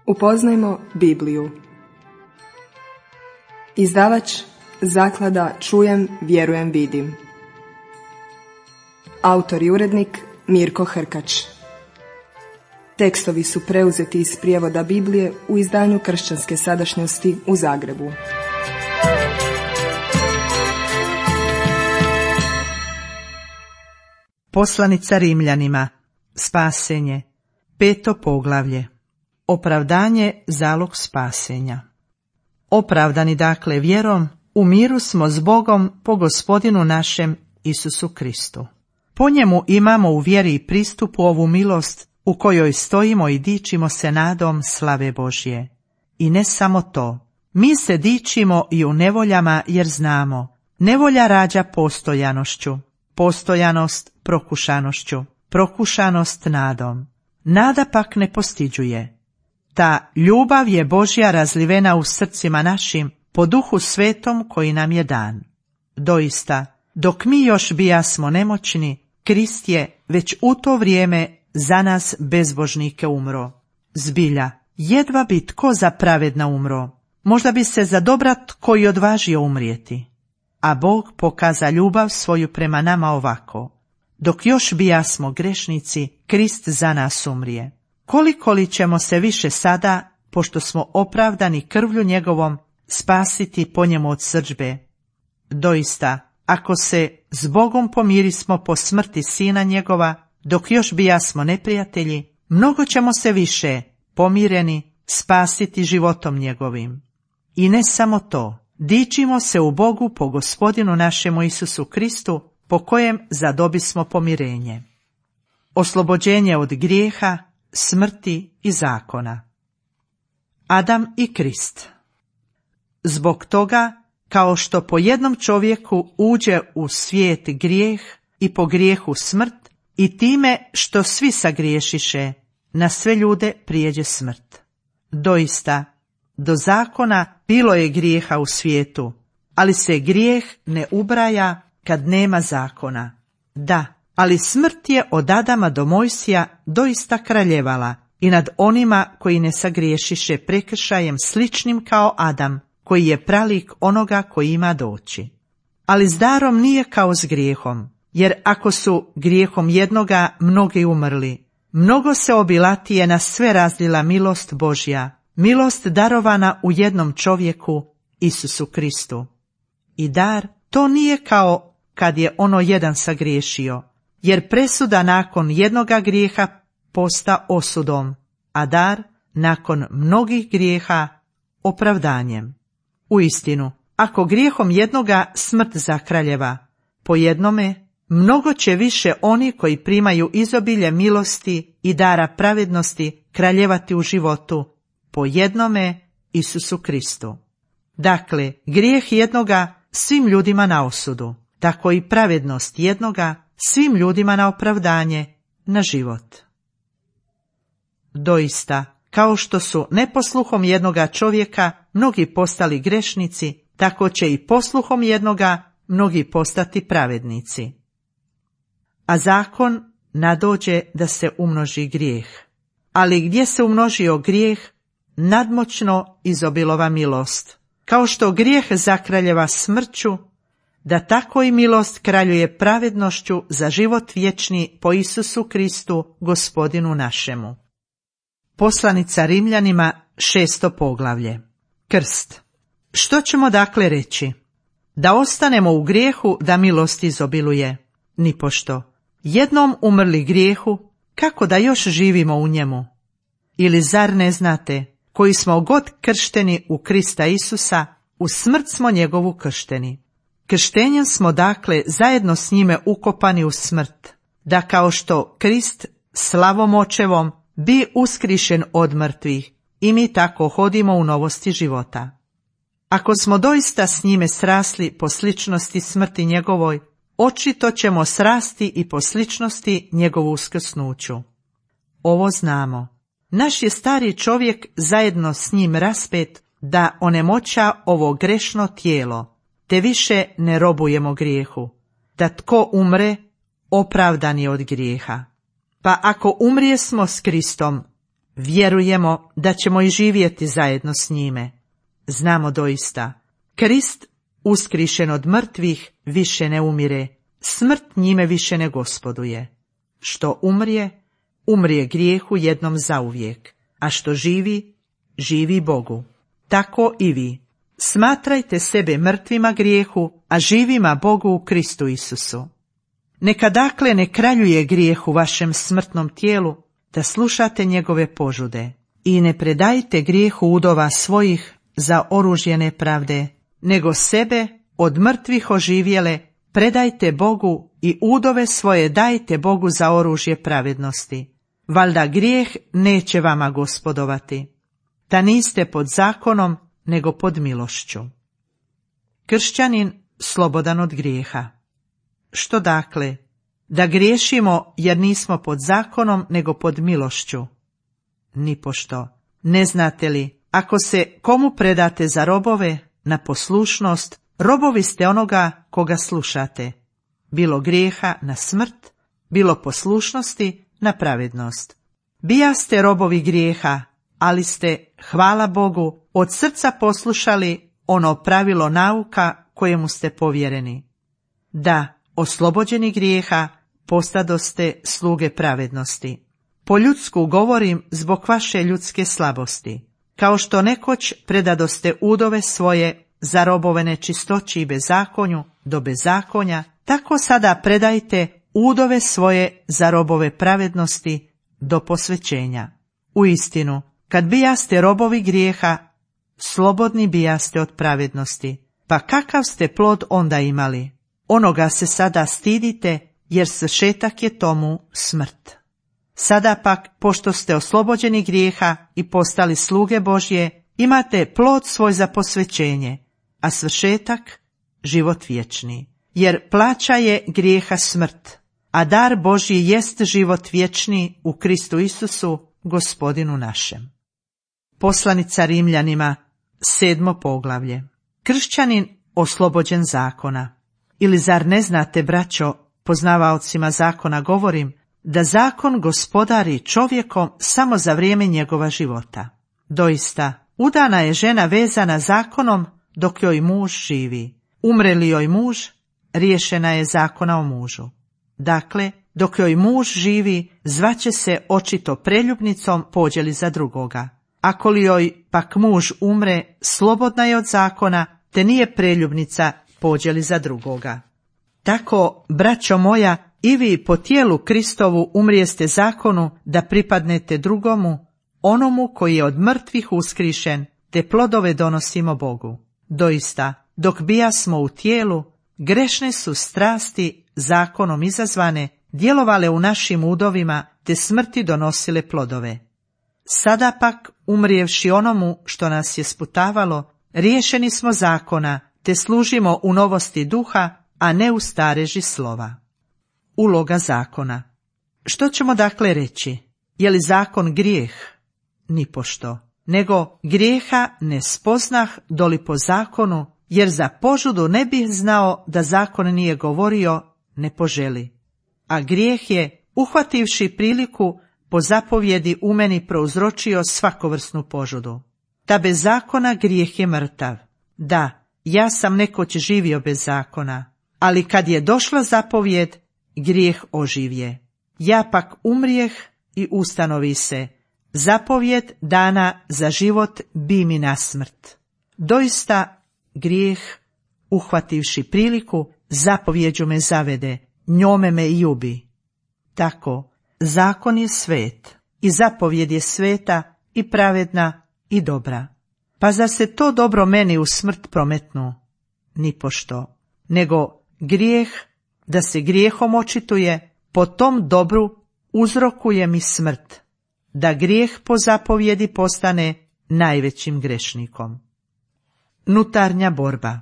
Upoznajmo Bibliju. Izdavač Zaklada Čujem, vjerujem, vidim. Autor i urednik Mirko Hrkač. Tekstovi su preuzeti iz prijevoda Biblije u izdanju Kršćanske sadašnjosti u Zagrebu. Poslanica Rimljanima, spasenje, 5. poglavlje. Opravdanje, zalog spasenja. Opravdani dakle vjerom, u miru smo s Bogom po Gospodinu našem Isusu Kristu. Po njemu imamo u vjeri pristup u ovu milost u kojoj stojimo i dičimo se nadom slave Božje. I ne samo to, mi se dičimo i u nevoljama jer znamo, nevolja rađa postojanošću, postojanost prokušanošću, prokušanost nadom. Nada pak ne postiđuje. Ta ljubav je Božja razlivena u srcima našim po Duhu Svetom koji nam je dan. Doista, dok mi još bijasmo nemoćni, Krist je već u to vrijeme za nas bezbožnike umro. Zbilja, jedva bi tko za pravedna umro, možda bi se za dobra tko i odvažio umrijeti. A Bog pokaza ljubav svoju prema nama ovako. Dok još bijasmo grešnici, Krist za nas umrije. Koliko li ćemo se više sada, pošto smo opravdani krvlju njegovom, spasiti po njemu od srdžbe? Doista, ako se s Bogom pomirismo po smrti sina njegova, dok još bijasmo neprijatelji, mnogo ćemo se više, pomireni, spasiti životom njegovim. I ne samo to, dičimo se u Bogu po Gospodinu našemu Isusu Kristu, po kojem zadobismo pomirenje. Oslobođenje od grijeha, smrti i zakona. Adam i Krist. Zbog toga, kao što po jednom čovjeku uđe u svijet grijeh i po grijehu smrt, i time što svi sagriješiše, na sve ljude prijeđe smrt. Doista, do zakona bilo je grijeha u svijetu, ali se grijeh ne ubraja kad nema zakona. Da, ali smrt je od Adama do Mojsija doista kraljevala i nad onima koji ne sagriješiše prekršajem sličnim kao Adam, koji je pralik onoga koji ima doći. Ali s darom nije kao s grijehom, jer ako su grijehom jednoga mnogi umrli, mnogo se obilatije na sve razlila milost Božja, milost darovana u jednom čovjeku, Isusu Kristu. I dar to nije kao kad je ono jedan sagriješio, jer presuda nakon jednoga grijeha posta osudom, a dar nakon mnogih grijeha opravdanjem. Uistinu, ako grijehom jednoga smrt zakraljeva, po jednome mnogo će više oni koji primaju izobilje milosti i dara pravednosti kraljevati u životu, po jednome Isusu Kristu. Dakle, grijeh jednoga svim ljudima na osudu, tako i pravednost jednoga svim ljudima na opravdanje, na život. Doista, kao što su neposluhom jednoga čovjeka mnogi postali grešnici, tako će i posluhom jednoga mnogi postati pravednici. A zakon nadođe da se umnoži grijeh. Ali gdje se umnožio grijeh, nadmoćno izobilova milost. Kao što grijeh zakraljeva smrću, da tako i milost kraljuje pravednošću za život vječni po Isusu Kristu, Gospodinu našemu. Poslanica Rimljanima, 6. poglavlje. Krst. Što ćemo dakle reći? Da ostanemo u grijehu, da milost izobiluje? Nipošto. Jednom umrli grijehu, kako da još živimo u njemu? Ili zar ne znate, koji smo god kršteni u Krista Isusa, u smrt smo njegovu kršteni. Krštenjem smo dakle zajedno s njime ukopani u smrt, da kao što Krist slavom očevom bi uskrišen od mrtvih, i mi tako hodimo u novosti života. Ako smo doista s njime srasli po sličnosti smrti njegovoj, očito ćemo srasti i po sličnosti njegovu uskrsnuću. Ovo znamo. Naš je stari čovjek zajedno s njim raspet da onemoća ovo grešno tijelo, te više ne robujemo grijehu, da tko umre, opravdan je od grijeha. Pa ako umrijesmo s Kristom, Vjerujemo da ćemo i živjeti zajedno s njime. Znamo doista, Krist, uskrišen od mrtvih, više ne umire, smrt njime više ne gospoduje. Što umrije, umrije grijehu jednom zauvijek, a što živi, živi Bogu. Tako i vi. Smatrajte sebe mrtvima grijehu, a živima Bogu u Kristu Isusu. Neka dakle ne kraljuje grijeh u vašem smrtnom tijelu, da slušate njegove požude, i ne predajte grijehu udova svojih za oružje nepravde, nego sebe od mrtvih oživjele predajte Bogu i udove svoje dajte Bogu za oružje pravednosti. Valjda grijeh neće vama gospodovati. Da niste pod zakonom, nego pod milošću. Kršćanin slobodan od grijeha. Što dakle? Da griješimo jer nismo pod zakonom, nego pod milošću? Nipošto. Ne znate li, ako se komu predate za robove, na poslušnost, robovi ste onoga koga slušate. Bilo grijeha na smrt, bilo poslušnosti na pravednost. Bijaste robovi grijeha, ali ste, hvala Bogu, od srca poslušali ono pravilo nauka kojemu ste povjereni. Da, oslobođeni grijeha, postadoste sluge pravednosti. Po ljudsku govorim zbog vaše ljudske slabosti. Kao što nekoć predadoste udove svoje za robove nečistoći i bezakonju do bezakonja, tako sada predajte udove svoje za robove pravednosti do posvećenja. Uistinu, kad bijaste robovi grijeha, slobodni bijaste od pravednosti. Pa kakav ste plod onda imali? Onoga se sada stidite, jer svršetak je tomu smrt. Sada pak, pošto ste oslobođeni grijeha i postali sluge Božje, imate plod svoj za posvećenje, a svršetak život vječni. Jer plaća je grijeha smrt, a dar Božji jest život vječni u Kristu Isusu, Gospodinu našem. Poslanica Rimljanima, 7. poglavlje. Kršćanin oslobođen zakona. Ili zar ne znate, braćo, poznavaocima zakona govorim, da zakon gospodari čovjekom samo za vrijeme njegova života. Doista, udana je žena vezana zakonom dok joj muž živi. Umre li joj muž, riješena je zakona o mužu. Dakle, dok joj muž živi, zvaće se očito preljubnicom pođe li za drugoga. Ako li joj pak muž umre, slobodna je od zakona, te nije preljubnica pođe li za drugoga. Tako, braćo moja, i vi po tijelu Kristovu umrijeste zakonu da pripadnete drugomu, onomu koji je od mrtvih uskrišen, te plodove donosimo Bogu. Doista, dok bijasmo u tijelu, grešne su strasti zakonom izazvane djelovale u našim udovima, te smrti donosile plodove. Sada pak, umrijevši onomu što nas je sputavalo, riješeni smo zakona, te služimo u novosti duha, a ne u stareži slova. Uloga zakona. Što ćemo dakle reći? Je li zakon grijeh? Nipošto. Nego grijeha ne spoznah doli po zakonu, jer za požudu ne bih znao da zakon nije govorio, ne poželi. A grijeh je, uhvativši priliku, po zapovjedi u meni prouzročio svakovrsnu požudu. Da bez zakona grijeh je mrtav. Da, ja sam nekoć živio bez zakona, ali kad je došla zapovjed, grijeh oživje. Ja pak umrijeh i ustanovi se. Zapovjed dana za život bi mi na smrt. Doista grijeh, uhvativši priliku, zapovjeđu me zavede, njome me i ubi. Tako, zakon je svet i zapovjed je sveta i pravedna i dobra. Pa zar se to dobro meni u smrt prometnu? Nipošto. Nego grijeh, da se grijehom očituje, po tom dobru uzrokuje mi smrt, da grijeh po zapovjedi postane najvećim grešnikom. Nutarnja borba.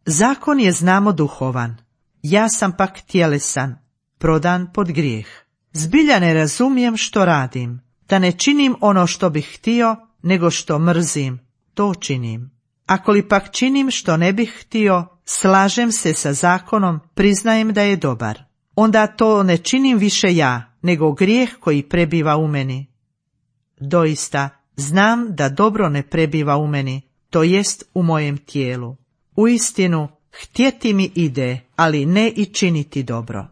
Zakon je, znamo, duhovan, ja sam pak tjelesan, prodan pod grijeh. Zbilja ne razumijem što radim, da ne činim ono što bih htio, nego što mrzim, to činim. Ako li pak činim što ne bih htio, slažem se sa zakonom, priznajem da je dobar. Onda to ne činim više ja, nego grijeh koji prebiva u meni. Doista, znam da dobro ne prebiva u meni, to jest u mojem tijelu. Uistinu, htjeti mi ide, ali ne i činiti dobro.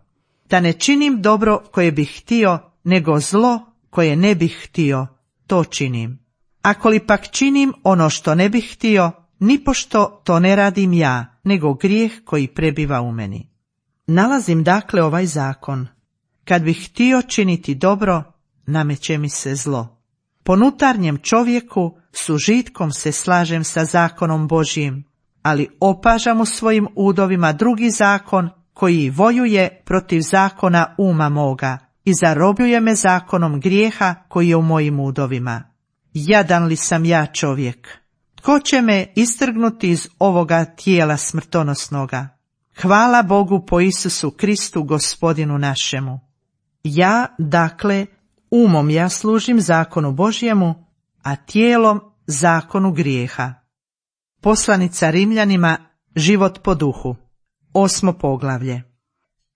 Da ne činim dobro koje bih htio, nego zlo koje ne bih htio, to činim. Ako li pak činim ono što ne bih htio, nipošto to ne radim ja, nego grijeh koji prebiva u meni. Nalazim dakle ovaj zakon. Kad bih htio činiti dobro, nameće mi se zlo. Po unutarnjem čovjeku s užitkom se slažem sa zakonom Božjim, ali opažam u svojim udovima drugi zakon koji vojuje protiv zakona uma moga i zarobljuje me zakonom grijeha koji je u mojim udovima. Jadan li sam ja čovjek? Tko će me istrgnuti iz ovoga tijela smrtonosnoga? Hvala Bogu po Isusu Kristu, Gospodinu našemu. Ja, dakle, umom ja služim zakonu Božjemu, a tijelom zakonu grijeha. Poslanica Rimljanima, život po duhu. 8. poglavlje.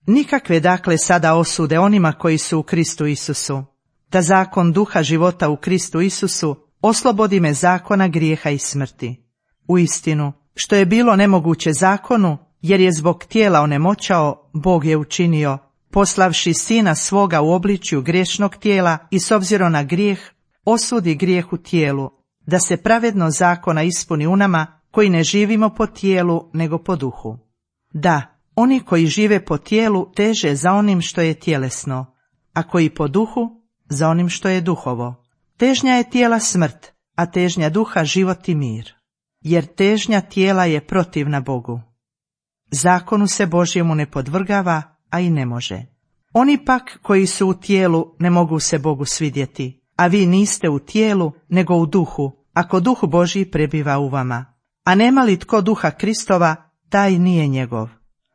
Nikakve dakle sada osude onima koji su u Kristu Isusu. Da zakon duha života u Kristu Isusu oslobodi me zakona grijeha i smrti. Uistinu, što je bilo nemoguće zakonu, jer je zbog tijela onemoćao, Bog je učinio, poslavši sina svoga u obličju grešnog tijela i s obzirom na grijeh, osudi grijeh u tijelu, da se pravedno zakona ispuni u nama koji ne živimo po tijelu nego po duhu. Da, oni koji žive po tijelu teže za onim što je tjelesno, a koji po duhu za onim što je duhovo. Težnja je tijela smrt, a težnja duha život i mir, jer težnja tijela je protivna Bogu. Zakonu se Božjemu ne podvrgava, a i ne može. Oni pak koji su u tijelu ne mogu se Bogu svidjeti, a vi niste u tijelu nego u duhu, ako duh Božji prebiva u vama. A nema li tko duha Kristova, taj nije njegov.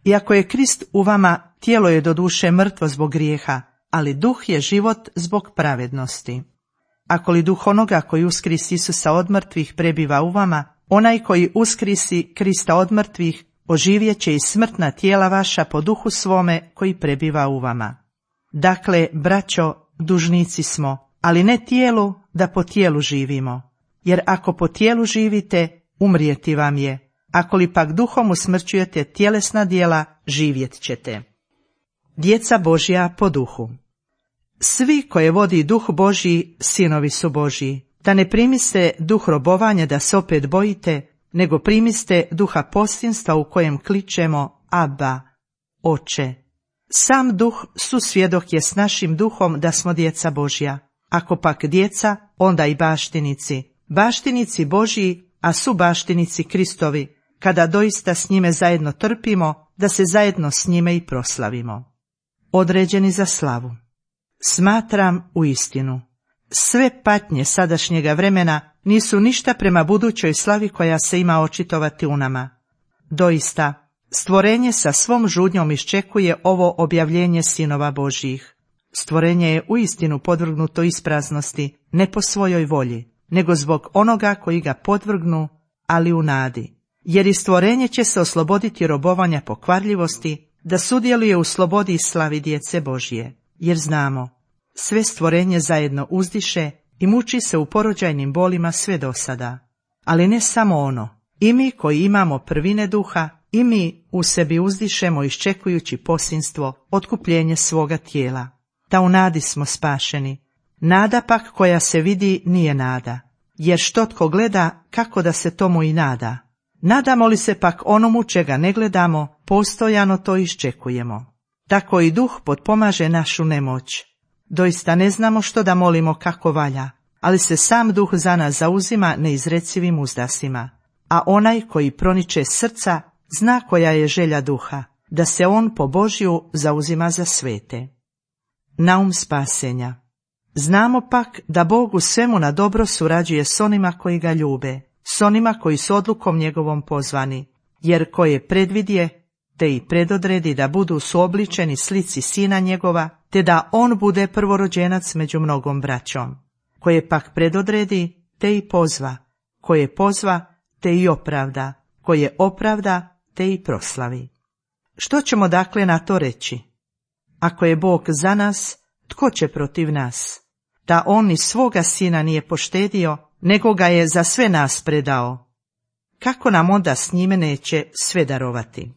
I ako je Krist u vama, tijelo je doduše mrtvo zbog grijeha, ali duh je život zbog pravednosti. Ako li duh onoga koji uskrisi Isusa od mrtvih prebiva u vama, onaj koji uskrisi Krista od mrtvih oživjet će i smrtna tijela vaša po duhu svome koji prebiva u vama. Dakle, braćo, dužnici smo, ali ne tijelu da po tijelu živimo. Jer ako po tijelu živite, umrijeti vam je. Ako li pak duhom usmrćujete tjelesna djela, živjet ćete. Djeca Božja po duhu. Svi koje vodi duh Božji, sinovi su Božji. Da ne primiste duh robovanja da se opet bojite, nego primiste duha postinstva u kojem kličemo Abba, Oče. Sam duh susvjedok je s našim duhom da smo djeca Božja. Ako pak djeca, onda i baštinici. Baštinici Božji, a su baštinici Kristovi, kada doista s njime zajedno trpimo, da se zajedno s njime i proslavimo. Određeni za slavu. Smatram u istinu. Sve patnje sadašnjega vremena nisu ništa prema budućoj slavi koja se ima očitovati u nama. Doista, stvorenje sa svom žudnjom iščekuje ovo objavljenje sinova Božjih. Stvorenje je uistinu podvrgnuto ispraznosti, ne po svojoj volji, nego zbog onoga koji ga podvrgnu, ali u nadi. Jer i stvorenje će se osloboditi robovanja pokvarljivosti, da sudjeluje u slobodi i slavi djece Božje. Jer znamo, sve stvorenje zajedno uzdiše i muči se u porođajnim bolima sve do sada. Ali ne samo ono, i mi koji imamo prvine duha, i mi u sebi uzdišemo iščekujući posinstvo, otkupljenje svoga tijela. Da u nadi smo spašeni. Nada pak koja se vidi nije nada, jer što tko gleda, kako da se tomu i nada. Nadamo li se pak onomu čega ne gledamo, postojano to iščekujemo. Tako i duh potpomaže našu nemoć. Doista ne znamo što da molimo kako valja, ali se sam duh za nas zauzima neizrecivim uzdasima. A onaj koji proniče srca zna koja je želja duha, da se on po Božju zauzima za svete. Naum spasenja. Znamo pak da Bog u svemu na dobro surađuje s onima koji ga ljube, s onima koji su odlukom njegovom pozvani, jer koje predvidje, te i predodredi da budu suobličeni slici sina njegova, te da on bude prvorođenac među mnogom braćom. Koje pak predodredi, te i pozva, koje pozva, te i opravda, koje opravda, te i proslavi. Što ćemo dakle na to reći? Ako je Bog za nas, tko će protiv nas? da on ni svoga sina nije poštedio, nego ga je za sve nas predao. Kako nam onda s njime neće sve darovati?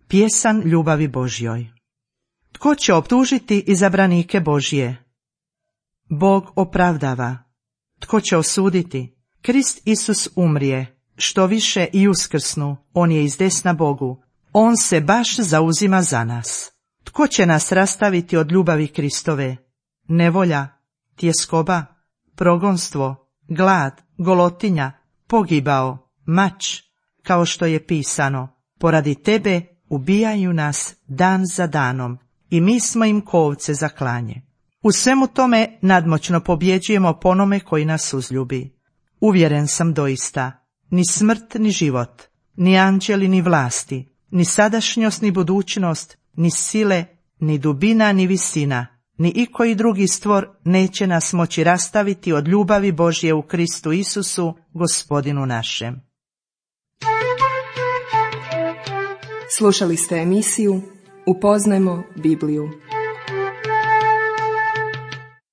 Pjesan ljubavi Božjoj. Tko će optužiti izabranike Božje? Bog opravdava. Tko će osuditi? Krist Isus umrije, što više i uskrsnu, on je izdesna Bogu. On se baš zauzima za nas. Tko će nas rastaviti od ljubavi Kristove? Nevolja, tjeskoba, progonstvo, glad, golotinja, pogibao, mač, kao što je pisano, poradi tebe ubijaju nas dan za danom i mi smo im ko ovce za klanje. U svemu tome nadmoćno pobjeđujemo po onome koji nas uzljubi. Uvjeren sam doista, ni smrt ni život, ni anđeli ni vlasti, ni sadašnjost ni budućnost, ni sile, ni dubina ni visina, ni ikoji drugi stvor neće nas moći rastaviti od ljubavi Božje u Kristu Isusu, Gospodinu našem. Slušali ste emisiju Upoznajmo Bibliju.